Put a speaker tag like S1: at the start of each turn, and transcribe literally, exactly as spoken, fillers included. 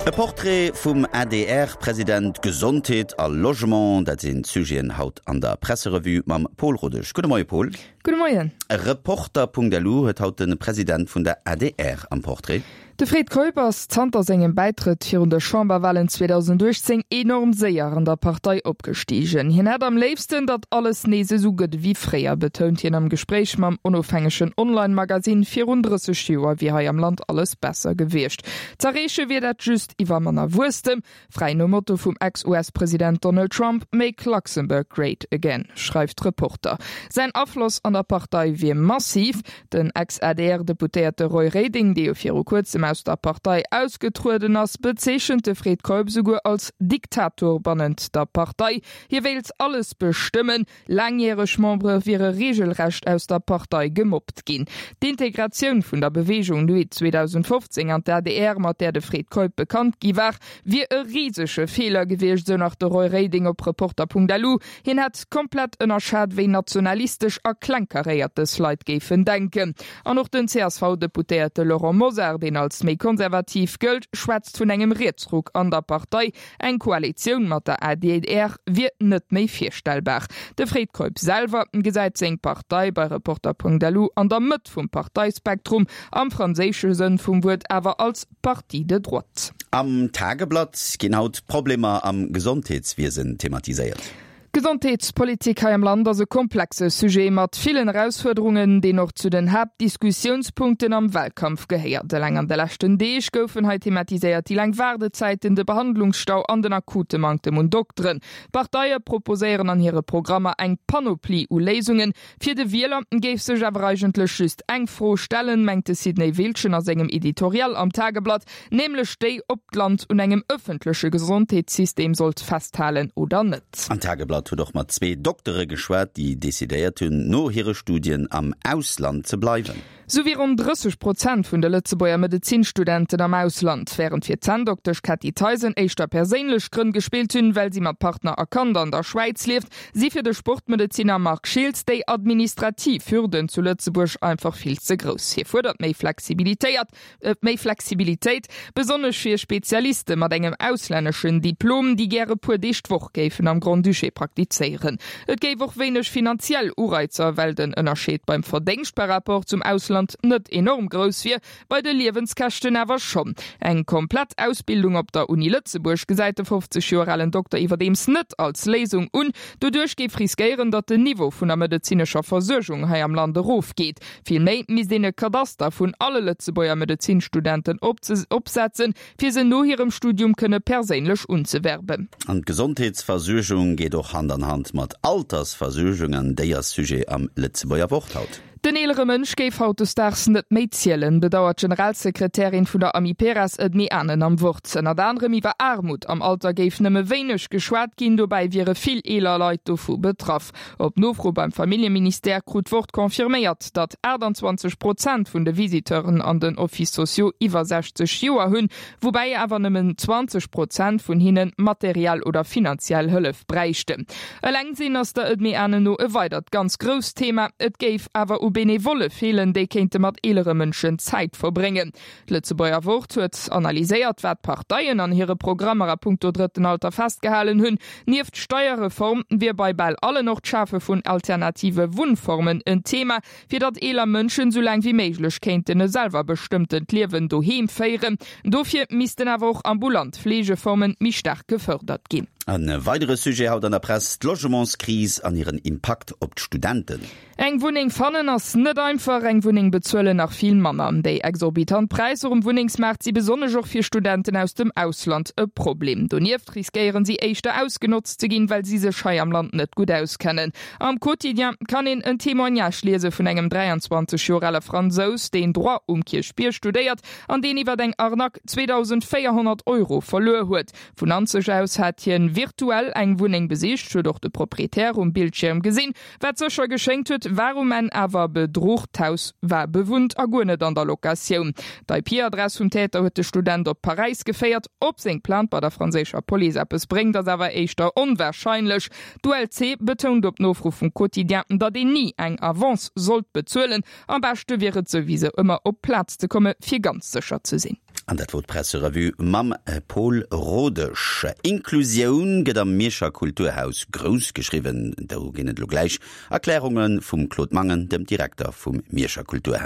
S1: E Portrait vum A D R-President, Gesondheet a Logement, dat sinn d'Sujeten haut an der Presserevue mam Paul Rodesch. Gudde Moie Paul.
S2: Gudde Moien.
S1: Reporter Punkt L U huet haut de President vun der A D R am Portrait.
S2: De Fred Keup ass zanter sengem Bäitrëtt virun de Chamberwalen zweedausendachtzéng enorm séier an der Partei opgestigen. Hien hätt am léifsten, datt alles nees esou gëtt wéi fréier, betount hien am Gespréich mam onofhängegen Online-Magazin. Virun drësseg Joer wier hei am Land alles besser gewiescht. Z'erreeche wier dat just iwwer manner Wuesstem, fräi nom Motto vum Ex-U S-President Donald Trump, "Make Luxembourg Great Again", schreift Reporter. Säin Afloss an der Partei wier massiv. Den Ex-A D R-Deputéierte Roy Reding, dee jo viru kuerzem aus der Partei ausgetrueden ass, bezeechent de Fred Keup souguer als Diktator bannent der Partei. Hie wéilt alles bestëmmen. Laangjäreg Membere wiere reegelrecht aus der Partei gemobbt ginn. D'Integratioun vun der Beweegung Nuit zweedausendfofzéng an d'A D R, mat där de Fred Keup bekannt gi war, wier e risege Feeler gewiescht, sou nach de Roy Reding op Reporter Punkt L U. Hien hätt komplett ënnerschat, wéi nationalistesch a klengkaréiert dës Leit géifen denken. An och den C S V-Deputéierte Laurent Mosar, deen als méi konservativ gëllt, schwätzt vun engem Rietsruck an der Partei. Eng Koalitioun mat der A D R wier net méi virstellbar. De Fred Keup selwer gesäit seng Partei bei Reporter Punkt L U an der Mëtt vum Parteispektrum, am franséische Sënn vum Wuert awer als Parti de droite.
S1: Am Tageblatt ginn haut Problemer am Gesondheetswiesen thematiséiert.
S2: Gesondheetspolitik hei am Land ass e komplexe Sujet mat villen Erausfuerderungen, deen och zu den Haaptdiskussiounspunkten am Walkampf gehéiert. Eleng an de leschten Deeg goufen hei thematiséiert déi laang Waardezäiten, de Behandlungsstau an den akute Manktem un Dokteren. Parteie proposéieren an hire Programmer eng Panoplie u Léisungen. Fir de Wieler géif sech awer eigentlech just eng Fro stellen, mengt de Sidney Wiltgen a sengem Editorial am Tageblatt, nämlech déi, ob d'Land un engem ëffentleche Gesondheetssystem sollt festhalen oder net.
S1: An Tageblatt huet och mat zwee Doktere geschwat, déi decidéiert hunn, no hire Studien am Ausland ze bleiwen.
S2: Sou wier ronn drësseg Prozent vun de Lëtzebuerger Medezinstudenten am Ausland, wärend fir d'Zänndoktesch Cathy Theisen éischter perséinlech Grënn gespillt hunn, well si mat Partner a Kand an der Schwäiz lieft, si fir de Sportmedeziner Marc Schiltz déi administrativ Hürden zu Lëtzebuerg einfach vill ze grouss. Hie fuerdert méi Flexibilitéit, äh, méi Flexibilitéit, besonnesch fir Spezialiste mat engem auslänneschen Diplom, déi gäre puer Deeg d'Woch géifen am Grand-Duché praktizéieren. Et géif och wéineg finanziell Ureizer, well den Ënnerscheed beim Verdéngscht par rapport zum Ausland net enorm grouss wier, bei de Liewenskäschten awer schonn. Eng komplett Ausbildung op der Uni Lëtzebuerg gesäit de fofzeg Joer alen Dokter iwwerdeems net als Léisung un. Doduerch géif riskéieren, datt den Niveau vun der medezinescher Versuergung hei am Land erofgeet. Villméi misst een e Kadaster vun alle Lëtzebuerger Medezinstudenten opsetzen, fir se no hirem Studium kënne perséinlech unzewerben.
S1: An d'Gesondheetsversuergung geet och Hand an Hand mat Altersversuergung, an déi ass Sujet am Lëtzebuerger Wort haut.
S2: Den eelere Mënsch géif hautdesdaags net méi zielen, bedauert d'Generalsekretärin vun der Amiperas Edmée Anen am Wort. Ënnert anerem iwwer Aarmut am Alter géif nëmme wéineg geschwat ginn, dobäi wiere vill eeler Leit dovu betraff. Op Nofro beim Familljeministère krut d'Wort confirméiert, datt achtanzwanzeg Prozent vun de Visiteuren an den Offices sociaux iwwer sechzeg Joer hunn, woubäi awer nëmmen zwanzeg Prozent vun hinnen materiell oder finanziell Hëllef bräichten. Eleng sinn ass der Edmée Anen no e weidert ganz grousst Thema, et géif awer u Benevolle feelen, déi kéinte mat eelere Mënschen Zäit verbréngen. D'Lëtzebuerger Wort huet analyséiert, wat d'Parteien an hire Programmer a punkto drëtten Alter festgehalen hunn. Nieft Steierreform wier bei bal allen och d'Schafe vun alternative Wunnformen en Thema, fir datt eeler Mënschen sou laang wéi méiglech kéinten e selwerbestëmmtent Liewen doheem féieren. Dofir missten awer och ambulant Fleegeformen méi staark gefërdert ginn.
S1: E weidere Sujet haut an der Press, d'Logementskris an hiren Impakt op d'Studenten.
S2: Eng Wunneng fannen ass net einfach, eng Wunneng bezuelen nach vill manner. Déi exorbitant Präisser um Wunnengsmaart si besonnesch och fir Studenten aus dem Ausland e Problem. Donieft riskéieren si éischter ausgenotzt ze ginn, well si sech hei am Land net gutt auskennen. Am Quotidien kann een en Témoignage liese vun engem dräianzwanzeg Joer ale Fransous, deen Droit um Kierchbierg studéiert an deen iwwer eng Arnaque zweedausendvéierhonnert Euro verluer huet. Vun Nanzeg aus hat hien virtuell eng Wunneng besicht, huet och de Proprietär um Bildschierm gesinn, wat sécher geschéngt huet, war um Enn awer Bedruch. D'Haus war bewunnt a guer net an der Locatioun. D'I P-Adress vum Täter huet de Student op Paräis geféiert. Ob seng Plainte bei der franséischer Police eppes bréngt, ass awer éischter onwarscheinlech. D'U L C betount op Nofro vum Quotidien, datt een ni eng Avance sollt bezuelen. Am beschte wier et souwisou ëmmer op d'Plaz ze komme fir ganz sécher ze sinn.
S1: An dat wor d'Presserevue mam Paul Rodesch. Inklusioun gëtt am Mierscher Kulturhaus grouss geschriwwen. Do ginn et elo gläich Erklärunge vum Claude Mangen, dem Direkter vum Mierscher Kulturhaus.